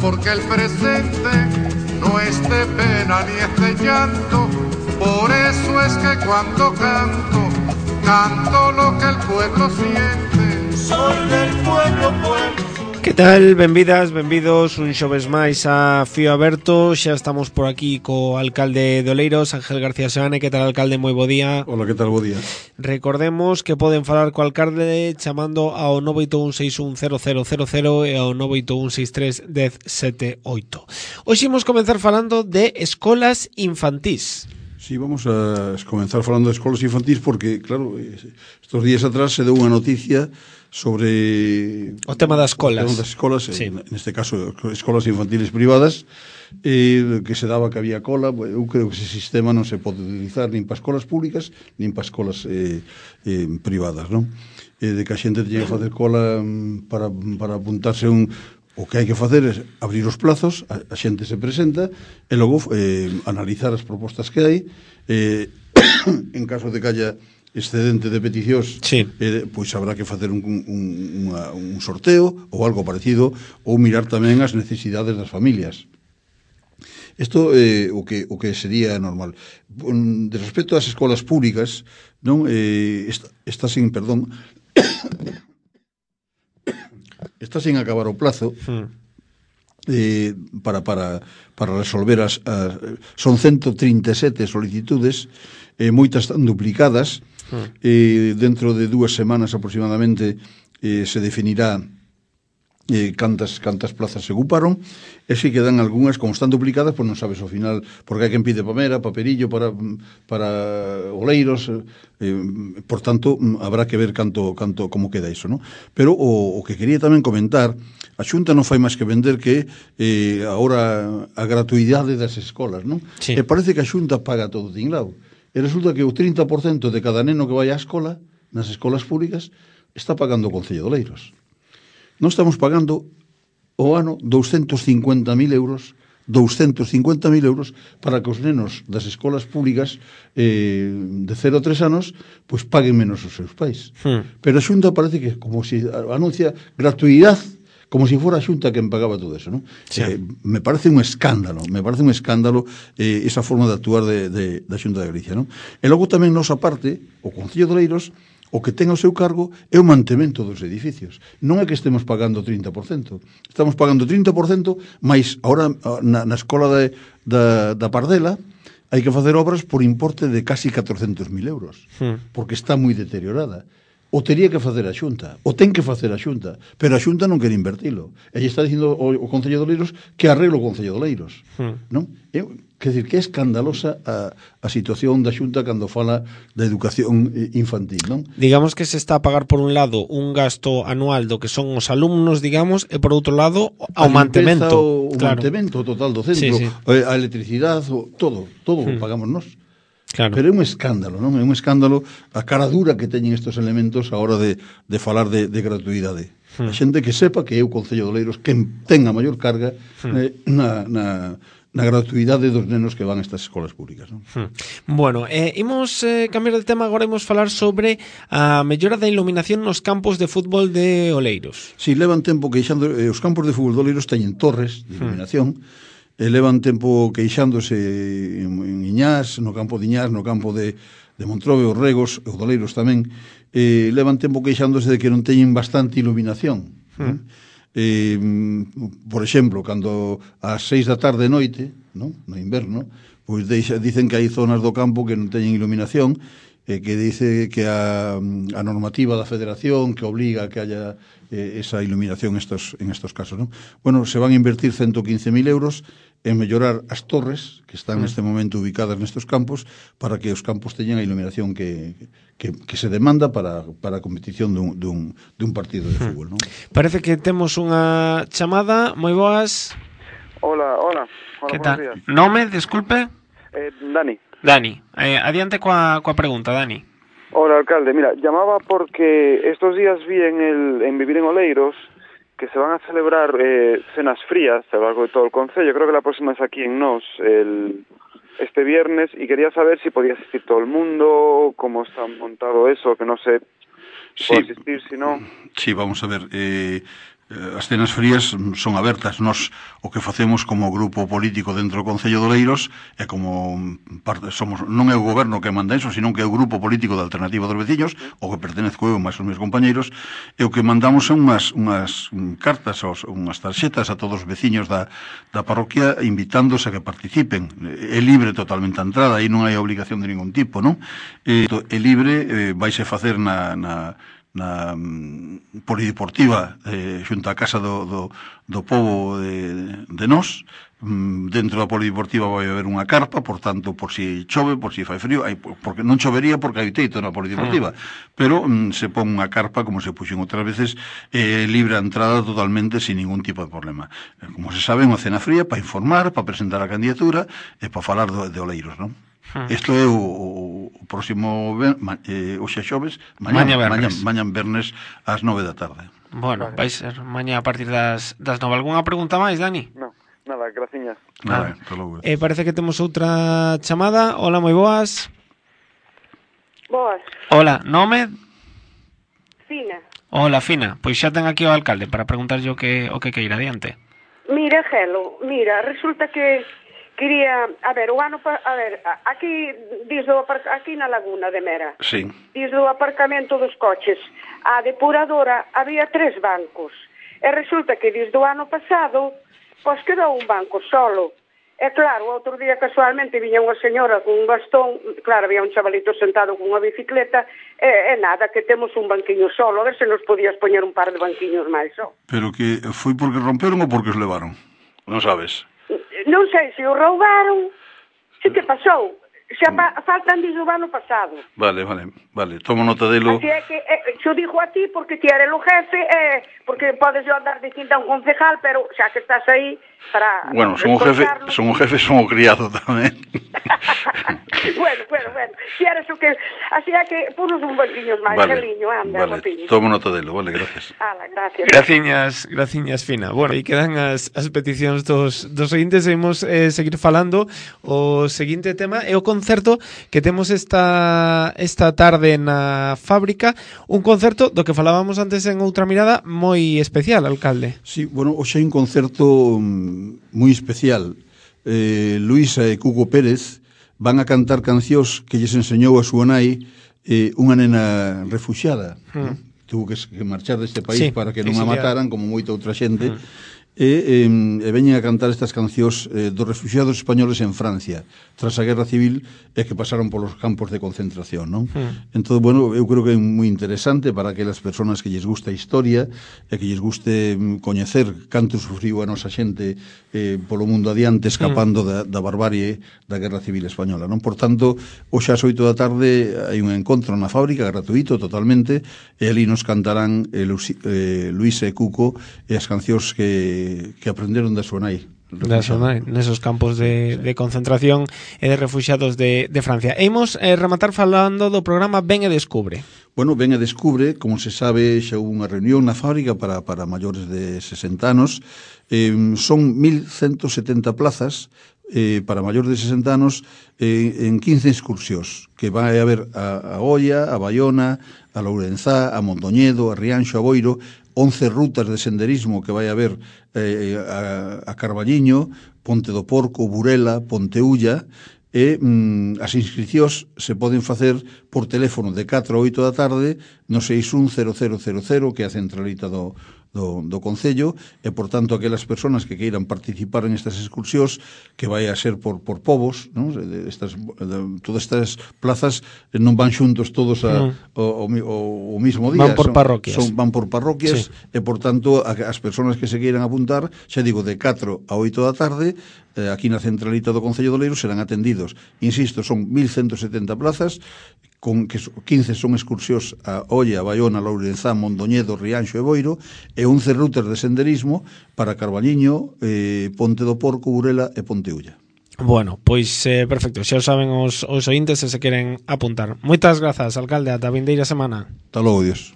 porque el presente no es de pena ni es de llanto. Por eso es que cuando canto, canto lo que el pueblo siente. Soy del pueblo, pueblo. Que tal? Benvidas, benvidos un xoves máis a Fío Aberto. Xa estamos por aquí co alcalde de Oleiros, Ángel García Seane. Que tal, alcalde? Moi bo día. Hola, que tal? Bo día. Recordemos que poden falar co alcalde chamando ao 981610000 e ao 981631078. Hoxe imos comenzar falando de escolas infantís. Sí, vamos a comenzar falando de escolas infantís porque, claro, estos días atrás se deu unha noticia sobre o tema das escolas. O tema das escolas, sí. Neste caso, escolas infantiles privadas, que se daba que había cola. Eu creo que ese sistema non se pode utilizar nin para escolas públicas nin para escolas privadas, non? De que a xente teña que facer cola para apuntarse o que hai que facer é abrir os plazos, a xente se presenta e logo analizar as propostas que hai, en caso de que haya excedente de peticións, sí. Pois habrá que facer un sorteo ou algo parecido, ou mirar tamén as necesidades das familias. Isto é o que sería normal. De respecto ás escolas públicas, non está sin está sin acabar o plazo para resolver son 137 solicitudes, moitas están duplicadas. Dentro de 2 semanas aproximadamente se definirá cantas plazas se ocuparon, e se quedan algunhas, como están duplicadas, pois non sabes ao final, porque hai quen pide Pamera, Paperillo para Oleiros, por tanto habrá que ver como queda iso, non? Pero o que quería tamén comentar, a Xunta non fai máis que vender que agora a gratuidade das escolas, non? Sí. E parece que a Xunta paga todo tinglado, e resulta que o 30% de cada neno que vai á escola, nas escolas públicas, está pagando o Concello de Oleiros. Non estamos pagando o ano 250.000 euros para que os nenos das escolas públicas de 0 a 3 anos pois paguen menos os seus pais. Pero a Xunta parece que como si anuncia gratuidade, como si fora a Xunta quen pagaba todo eso, non? Sí. Me parece un escándalo esa forma de actuar da Xunta de Galicia, non? E logo tamén nosa parte, o Concello de Oleiros, o que ten ao seu cargo é o mantemento dos edificios. Non é que estemos pagando 30%. Estamos pagando 30%, mas agora na escola da Pardela hai que facer obras por importe de casi 400.000 euros, porque está moi deteriorada. O tería que facer a Xunta, o ten que facer a Xunta, pero a Xunta non quere invertilo. E está dicindo o Concello de Oleiros que arreglo o Concello de Oleiros, non? Quer dizer, que é escandalosa a situación da Xunta cando fala da educación infantil, non? Digamos que se está a pagar por un lado un gasto anual do que son os alumnos, digamos, e por outro lado ao mantemento. O mantemento total do centro, sí. A electricidade, todo pagamos nós. Claro. Pero é un escándalo, non? É un escándalo a cara dura que teñen estos elementos a hora de falar de gratuidade. A xente que sepa que é o Concello de Oleiros quen ten a maior carga na gratuidade dos nenos que van a estas escolas públicas, non? Bueno, imos cambiar de tema. Agora imos falar sobre a mellora da iluminación nos campos de fútbol de Oleiros. Si, levan tempo queixando, os campos de fútbol de Oleiros teñen torres de iluminación, levan tempo queixándose en Iñás, no campo de Iñás, no campo de Montrobe, os Regos, os de Oleiros tamén, levan tempo queixándose de que non teñen bastante iluminación. Por exemplo, cando ás 6 da tarde e noite, no inverno, pois dicen que hai zonas do campo que non teñen iluminación, que dice que a normativa da Federación que obliga a que haya esa iluminación en estos casos, non? Bueno, se van a invertir 115.000 euros en mellorar as torres que están neste momento ubicadas nestes campos para que os campos teñan a iluminación que se demanda para a competición dun partido de fútbol, non? Parece que temos unha chamada. Moi boas. Hola, que buenos tal? días. Nome, disculpe. Dani. Adiante coa pregunta, Dani. Hola, alcalde. Mira, llamaba porque estos días vi en Vivir en Oleiros que se van a celebrar cenas frías a lo largo de todo el concello. Creo que la próxima es aquí en Nos, este viernes, y quería saber si podía asistir todo el mundo, cómo está montado eso, que no sé si puedo asistir, si no. Sí, vamos a ver. As cenas frías son abertas. Nós o que facemos como grupo político dentro do Concello de Oleiros é como parte, non é o goberno que manda eso, sino que é o grupo político da Alternativa dos Veciños, o que pertenezco eu máis os meus compañeiros, e o que mandamos son unhas cartas, unhas tarxetas a todos os veciños da parroquia invitándose a que participen. É libre totalmente a entrada, aí non hai obligación de ningún tipo, non? É libre, vaise facer na polideportiva xunto á Casa do Pobo de Nós. Dentro da polideportiva vai haber unha carpa, por tanto, por si chove, por si fai frío, porque non chovería porque hai teito na polideportiva, pero se pon unha carpa, como se puxen outras veces, libre a entrada totalmente sin ningún tipo de problema. Como se sabe, unha cena fría para informar, para presentar a candidatura e para falar de Oleiros, non? Isto é o próximo hoxe xoves, mañá vernes ás 9 da tarde. Bueno, vai ser mañá a partir das 9. Algúnha pregunta máis, Dani? No, nada, graciñas. Nada, parece que temos outra chamada. Hola, moi boas. Boas. Hola, nome? Fina. Hola, Fina. Pois xa ten aquí o alcalde para preguntarlle o que queira, adiante. Mira, Gelo, resulta que quería, aquí aquí na Laguna de Mera. Sí. Diz do aparcamento dos coches a depuradora había 3 bancos. E resulta que diz do ano pasado, pois quedou un banco solo. E claro, outro día casualmente viña unha señora con un bastón, claro, había un chavalito sentado con unha bicicleta, e nada, que temos un banquiño solo, a ver se nos podías poñer un par de banquiños máis só. Pero que foi porque romperon ou porque os levaron? Non sabes? Non sei se o roubaron, se que pasou. Xa faltan desde o ano pasado. Vale, tomo nota delo. Así é que xo digo a ti porque ti eres o jefe, porque podes yo andar dicindo a un concejal, pero xa que estás aí para... Bueno, son o jefe, son o criado tamén. Bueno, si eres o que... Así é que punos un banquiño máis, cariño, anda, vale, tomo nota delo, vale, gracias. Gracias. Graciñas, Fina. Bueno, aí quedan as peticións dos seguintes, seguimos seguir falando. O seguinte tema é o concerto que temos esta tarde na fábrica, un concerto do que falábamos antes en outra mirada moi especial, alcalde. Sí, bueno, hoxe hai un concerto moi especial. Luisa e Cuco Pérez van a cantar cancións que lles enseñou a súa nai, unha nena refuxiada, tuvo que marchar deste país para que non a mataran, como moita outra xente, e veñen a cantar estas cancións dos refugiados españoles en Francia tras a Guerra Civil e que pasaron polos campos de concentración, non? Entón, bueno, eu creo que é moi interesante para aquelas persoas que lles gusta a historia e que lles guste coñecer canto sufriu a nosa xente polo mundo adiante escapando da barbarie da Guerra Civil Española, non? Por tanto, hoxe ás 8 da tarde hai un encontro na fábrica gratuito totalmente e ali nos cantarán Luis e Cuco e as cancións que aprenderon da súa nai. Nesos campos de concentración e de refuxiados de Francia. E imos rematar falando do programa Ven e Descubre. Bueno, Ven e Descubre, como se sabe, xa houve unha reunión na fábrica para maiores de 60 anos. Son 1.170 plazas para maiores de 60 anos en 15 excursións que vai haber a Oia, a Baiona, a Lourenzá, a Mondoñedo, a Rianxo, a Boiro, 11 rutas de senderismo que vai haber a Carballiño, Ponte do Porco, Burela, Ponteulla, e as inscricións se poden facer por teléfono de 4 a 8 da tarde no 610000, que é a centralita do Concello, e, por tanto, aquelas persoas que queiran participar en estas excursións, que vai a ser por povos, non? Todas estas plazas non van xuntos todos ao mismo día. Van por parroquias. Van por parroquias, e, por tanto, as persoas que se queiran apuntar, xa digo, de 4 a 8 da tarde, aquí na centralita do Concello de Oleiros serán atendidos. Insisto, son 1.170 plazas, con que 15 son excursións a Oia, a Baiona, a Lourenzá, Mondoñedo, Rianxo e Boiro, e 11 rutas de senderismo para Carballiño, Ponte do Porco, Burela e Ponteulla. Bueno, pois perfecto, xa o saben os ointes se queren apuntar. Moitas grazas, alcalde, ata a vindeira semana. Hasta logo, Dios.